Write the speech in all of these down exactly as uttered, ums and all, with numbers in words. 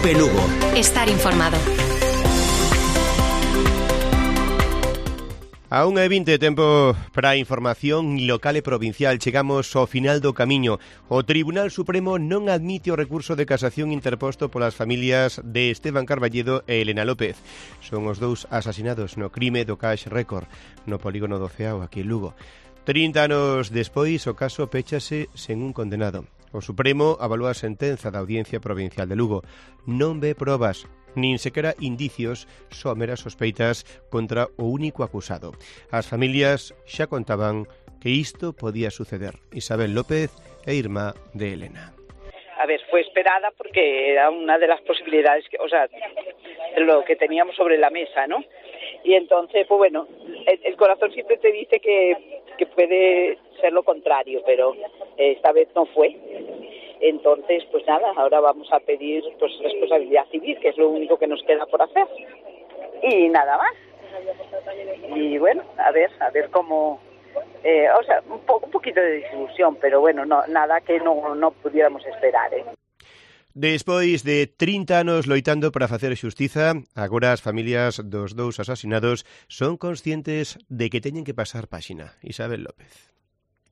Cope Lugo. Estar informado. A unha e vinte, tempo para a información local e provincial. Chegamos ao final do camiño. O Tribunal Supremo non admite o recurso de casación interposto polas familias de Esteban Carballedo e Elena López. Son os dous asasinados no crime do Cash Record, no polígono do Ceao, aquí en Lugo. trinta anos despois, o caso péchase sen un condenado. O Supremo avalúa a sentenza da Audiencia Provincial de Lugo. Non ve probas, nin sequera indicios, só meras sospeitas contra o único acusado. As familias xa contaban que isto podía suceder. Isabel López é irmá de Elena. A ver, fue esperada porque era una de las posibilidades, que, o sea, lo que teníamos sobre la mesa, ¿no? Y entonces, pues bueno, el, el corazón siempre te dice que, que puede ser lo contrario, pero esta vez no fue. Entonces, pues nada, ahora vamos a pedir pues responsabilidad civil, que es lo único que nos queda por hacer. Y nada más. Y bueno, a ver, a ver cómo... Eh, o sea, un, po- un poquito de desilusión, pero bueno, no, nada que no, no pudiéramos esperar, ¿eh? Despois de trinta anos loitando para facer xustiza, agora as familias dos dous asasinados son conscientes de que teñen que pasar páxina. Isabel López.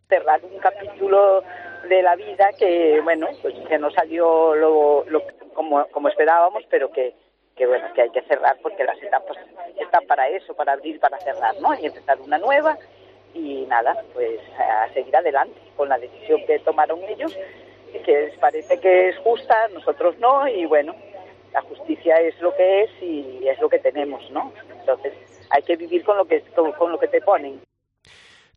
Cerrar un capítulo de la vida que, bueno, pues que no salió lo, lo, como, como esperábamos, pero que, que, bueno, que hay que cerrar porque las etapas están para eso, para abrir, para cerrar, ¿no? Y empezar una nueva y nada, pues a seguir adelante con la decisión que tomaron ellos, que les parece que es justa, nosotros no, y bueno, la justicia es lo que es y es lo que tenemos, ¿no? Entonces hay que vivir con lo que, con, con lo que te ponen.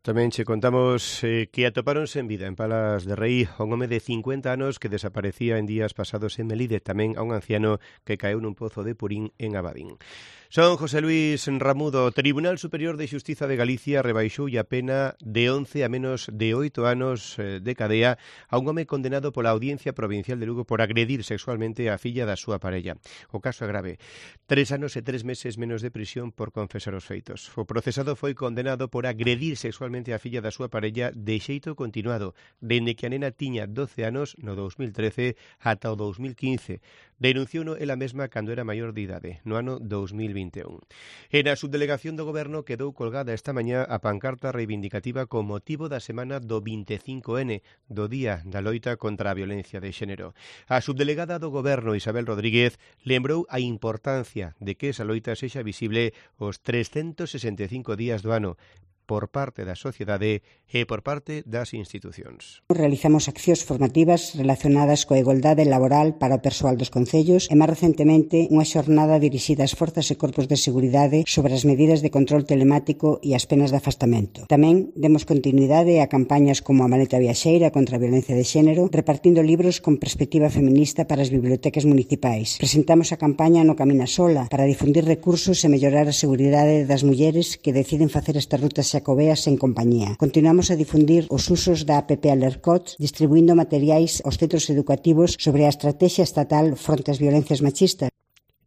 Tamén che contamos eh, que atopáronse en vida en Palas de Rei a un home de cincuenta anos que desaparecía en días pasados en Melide, tamén a un anciano que caeu nun pozo de Purín en Abadín. Son José Luis Ramudo. Tribunal Superior de Xustiza de Galicia rebaixou a pena de once a menos de oito anos de cadea a un home condenado pola Audiencia Provincial de Lugo por agredir sexualmente a filla da súa parella. O caso é grave. Tres anos e tres meses menos de prisión por confesar os feitos. O procesado foi condenado por agredir sexualmente a filla da súa parella de xeito continuado, dende que a nena tiña doce anos no dous mil trece ata o dous mil quince. Denunciouno ela mesma cando era maior de idade, no ano dous mil vinte e un. E na subdelegación do Goberno quedou colgada esta mañá a pancarta reivindicativa con motivo da semana do vinte e cinco ene, do Día da Loita contra a Violencia de Xénero. A subdelegada do Goberno, Isabel Rodríguez, lembrou a importancia de que esa loita sexa visible os trescentos sesenta e cinco días do ano, por parte da sociedade e por parte das institucións. Realizamos accións formativas relacionadas coa igualdade laboral para o persoal dos concellos e, máis recentemente, unha xornada dirixida ás forzas e corpos de seguridade sobre as medidas de control telemático e as penas de afastamento. Tamén demos continuidade a campañas como a Maleta Viaxeira contra a violencia de xénero, repartindo libros con perspectiva feminista para as bibliotecas municipais. Presentamos a campaña No Camina Sola para difundir recursos e mellorar a seguridade das mulleres que deciden facer estas rutas xacobeas en compañía. Continuamos a difundir os usos da app Alercots, distribuindo materiais aos centros educativos sobre a estrategia estatal fronte ás violencias machistas.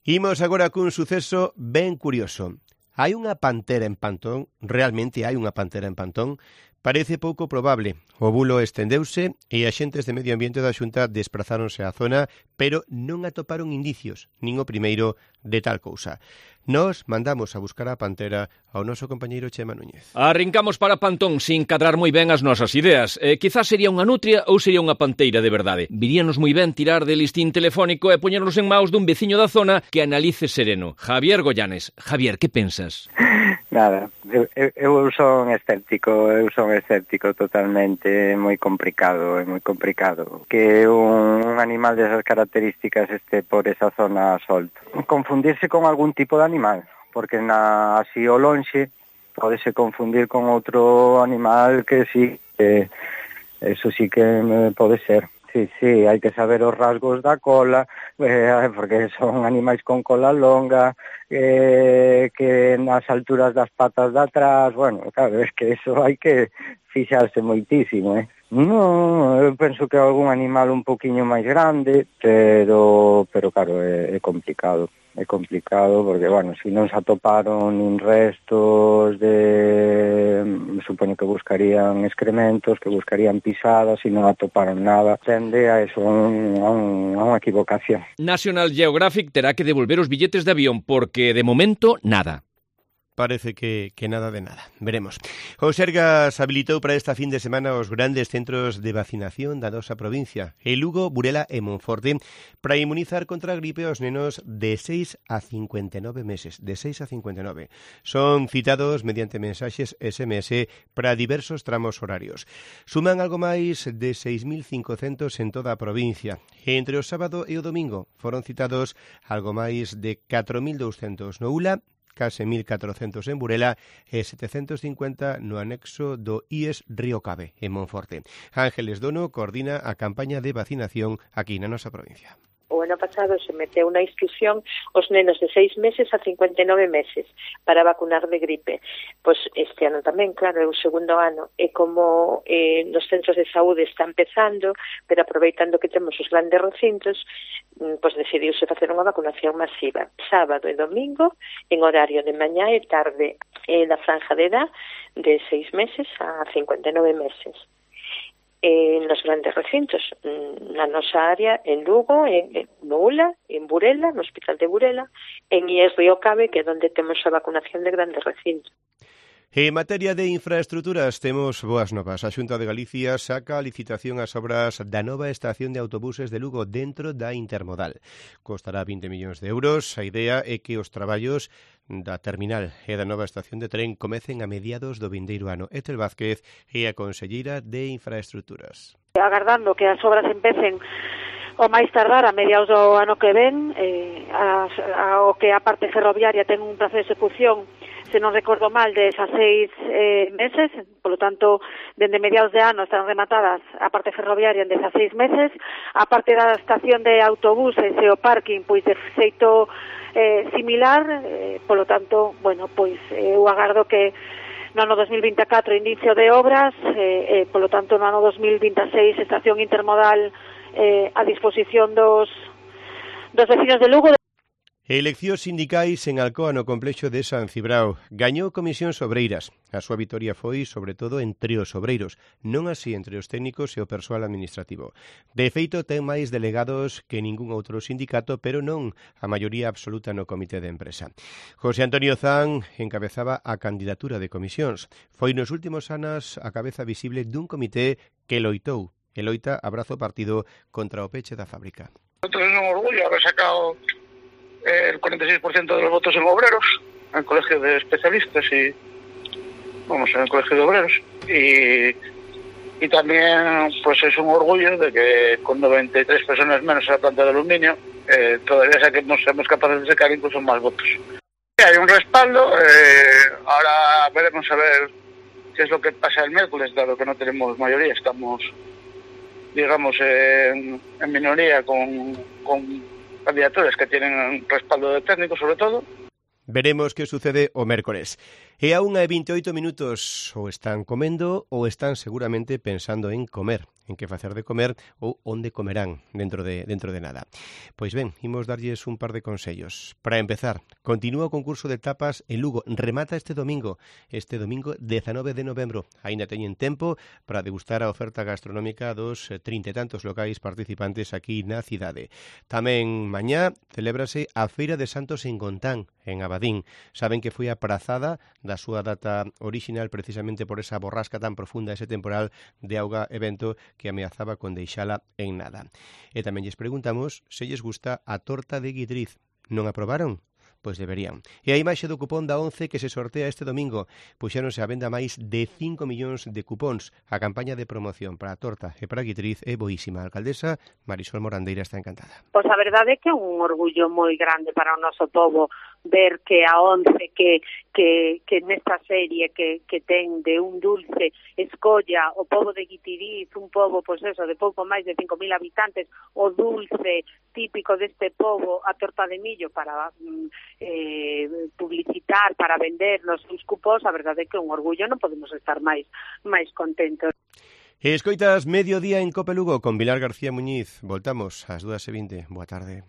Imos agora cun suceso ben curioso. Hai unha pantera en Pantón? Realmente hai unha pantera en Pantón? Parece pouco probable. O bulo estendeuse e axentes de Medio Ambiente da Xunta desprazáronse á zona, pero non atoparon indicios, nin o primeiro de tal cousa. Nos mandamos a buscar a pantera ao noso compañeiro Chema Núñez. Arrincamos para Pantón sin cadrar moi ben as nosas ideas. Eh, quizás sería unha nutria ou sería unha panteira de verdade. Viríanos moi ben tirar de listín telefónico e poñernos en maus dun veciño da zona que analice sereno. Javier Goyanes. Javier, que pensas? Nada, eu, eu son escéptico, eu son escéptico totalmente, moi complicado, é moi complicado que un, un animal desas características este por esa zona solto. Confundirse con algún tipo de animal, porque na así o lonxe podese confundir con outro animal que sí, que eso sí que pode ser. Sí, sí, hai que saber os rasgos da cola, eh, porque son animais con cola longa, eh, que nas alturas das patas de atrás, bueno, claro, es que eso hai que fixarse moitísimo, eh. No, eu penso que é algún animal un poquinho máis grande, pero, pero claro, é, é complicado. é complicado porque, bueno, se non se atoparon nin restos de... me supoño que buscarían excrementos, que buscarían pisadas, e non atoparon nada. Tende a eso, a, un, a, un, a unha equivocación. National Geographic terá que devolver os billetes de avión porque, de momento, nada. Parece que, que nada de nada. Veremos. O Sergas habilitou para esta fin de semana os grandes centros de vacinación da nosa provincia, en Lugo, Burela e Monforte, para inmunizar contra a gripe aos nenos de seis a cincuenta e nove meses. De seis a cincuenta e nove. Son citados mediante mensaxes ese eme ese para diversos tramos horarios. Suman algo máis de seis mil cincocentos en toda a provincia. E entre o sábado e o domingo foron citados algo máis de catro mil douscentos no U L A, case mil catrocentos en Burela e setecentos cincuenta no anexo do I E S Río Cabe, en Monforte. Ángeles Dono coordina a campaña de vacinación aquí na nosa provincia. O ano pasado se meteu na inscripción os nenos de seis meses a cincuenta e nove meses para vacunar de gripe. Pois este ano tamén, claro, é o segundo ano. E como eh, nos centros de saúde está empezando, pero aproveitando que temos os grandes recintos, pois decidiuse facer unha vacunación masiva. Sábado e domingo, en horario de mañá e tarde, e da franja de edad de seis meses a cincuenta e nove meses. En los grandes recintos, na nosa área, en Lugo, en, en no U L A, en Burela, no Hospital de Burela, en I E S Río Cabe, que é onde temos a vacunación de grandes recintos. En materia de infraestruturas temos boas novas. A Xunta de Galicia saca a licitación as obras da nova estación de autobuses de Lugo dentro da intermodal. Costará vinte millóns de euros. A idea é que os traballos da terminal e da nova estación de tren comecen a mediados do vindeiro ano. Etel Vázquez é a conselleira de Infraestruturas. Agardando que as obras empecen o máis tardar a mediados do ano que ven, eh, a, a, o que a parte ferroviaria ten un prazo de execución, se non recordo mal, de dezaseis eh, meses, polo tanto, dende mediados de ano están rematadas a parte ferroviaria en dezaseis meses, a parte da estación de autobuses e o parking, pois de xeito eh, similar, eh, polo tanto, bueno, pois eh, eu agardo que no ano dos mil vinte e catro inicio de obras, eh, eh, polo tanto, no ano dos mil vinte e seis estación intermodal eh, a disposición dos, dos vecinos de Lugo. Eleccións sindicais en Alcoa no complexo de San Cibrao. Gañou Comisións Obreiras. A súa vitoria foi, sobre todo, entre os obreiros, non así entre os técnicos e o persoal administrativo. De feito, ten máis delegados que ningún outro sindicato, pero non a maioría absoluta no comité de empresa. José Antonio Zan encabezaba a candidatura de comisións. Foi nos últimos anos a cabeza visible dun comité que loitou, e loita a brazo partido contra o peche da fábrica. Nosotros es un orgullo haber sacado el cuarenta y seis por ciento de los votos en obreros, en el colegio de especialistas y, vamos, en el colegio de obreros. Y, y también, pues es un orgullo de que con noventa y tres personas menos en la planta de aluminio, eh, todavía saquemos, seamos capaces de sacar incluso más votos. Hay un respaldo, eh, ahora veremos a ver qué es lo que pasa el miércoles, dado que no tenemos mayoría, estamos, digamos, en, en minoría con... con candidaturas que tienen respaldo de técnicos, sobre todo. Veremos que sucede o mércores. E a unha e vinte e oito minutos ou están comendo ou están seguramente pensando en comer, en que facer de comer ou onde comerán dentro de dentro de nada. Pois ben, imos darlles un par de consellos. Para empezar, continúa o concurso de tapas en Lugo. Remata este domingo, este domingo dezanove de novembro. Aínda teñen tempo para degustar a oferta gastronómica dos trinta e tantos locais participantes aquí na cidade. Tamén mañá celébrase a Feira de Santos en Gontán, en Abadín. Saben que foi aprazada da súa data orixinal precisamente por esa borrasca tan profunda, ese temporal de auga evento que ameazaba con deixala en nada. E tamén lles preguntamos se lles gusta a torta de guidriz. Non a probaron? Pois deberían. E a imaxe do cupón da once que se sortea este domingo. Puxéronse a venda máis de cinco millóns de cupóns. A campaña de promoción para a torta e para a guitriz é boísima. A alcaldesa Marisol Morandeira está encantada. Pois a verdade é que é un orgullo moi grande para o noso povo ver que a once que que que nesta serie que que ten de un dulce escolla o povo de Guitiriz, un povo pois eso de pouco máis de cinco mil habitantes, o dulce típico deste povo, a torta de millo para eh, publicitar, para vender nos seus cupós. A verdade é que é un orgullo, non podemos estar máis máis contentos. Escoitas Mediodía en Cope Lugo con Pilar García Muñiz. Voltamos ás dúas e vinte. Boa tarde.